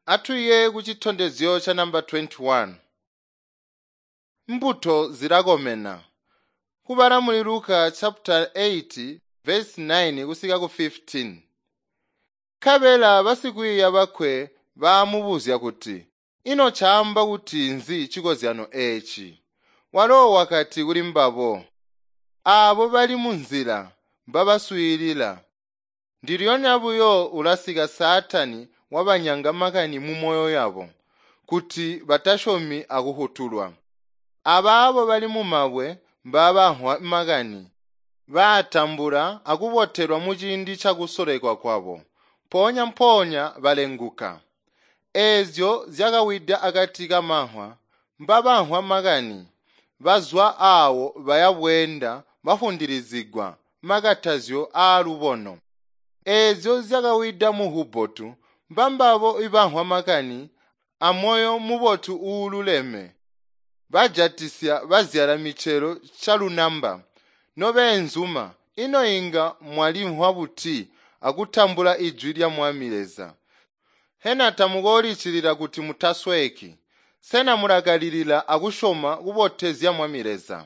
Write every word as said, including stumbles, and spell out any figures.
Atuye kucitondezyo ca namba twenty-one. Mbuto zilakomena. Kubala muli Luka chapter eight verse nine kusika ku fifteen. Nkabela basikwiiya bakwe baamubuzya kuti, "Ino caamba kuti nzi cikozyano eeci?" Walo wakati kuli mbabo, "Aabo bali munzila mbabaswiilila. Ndilyonya buyo ulasika Saatani wabanyanga makani mumoyo yabo, kuti batasyomi akuhutulwa. Abaabo bali mumabwe mbabamvwa makani, baatambula akubotelwa muciindi cakusolekwa kwabo, mpoonya-mpoonya balenguka. Eezyo zyakawida akati kamamvwa mbabamvwa makani, bazwa aawo baya bweenda bafundilizigwa makatazyo aalubono. Eezyo zyakawida muhubotu mbambabo ibamvwa makani amoyo mubotu uululeme, bajatisya bazyala micelo calunamba. Nobeenzuma, ino inga mwalimvwa buti akutambula ijwi lya Mwami Leza? Hena tamukoolicilila kuti mutasweeki? Sena mulakalilila akusyoma kubotezya Mwami Leza?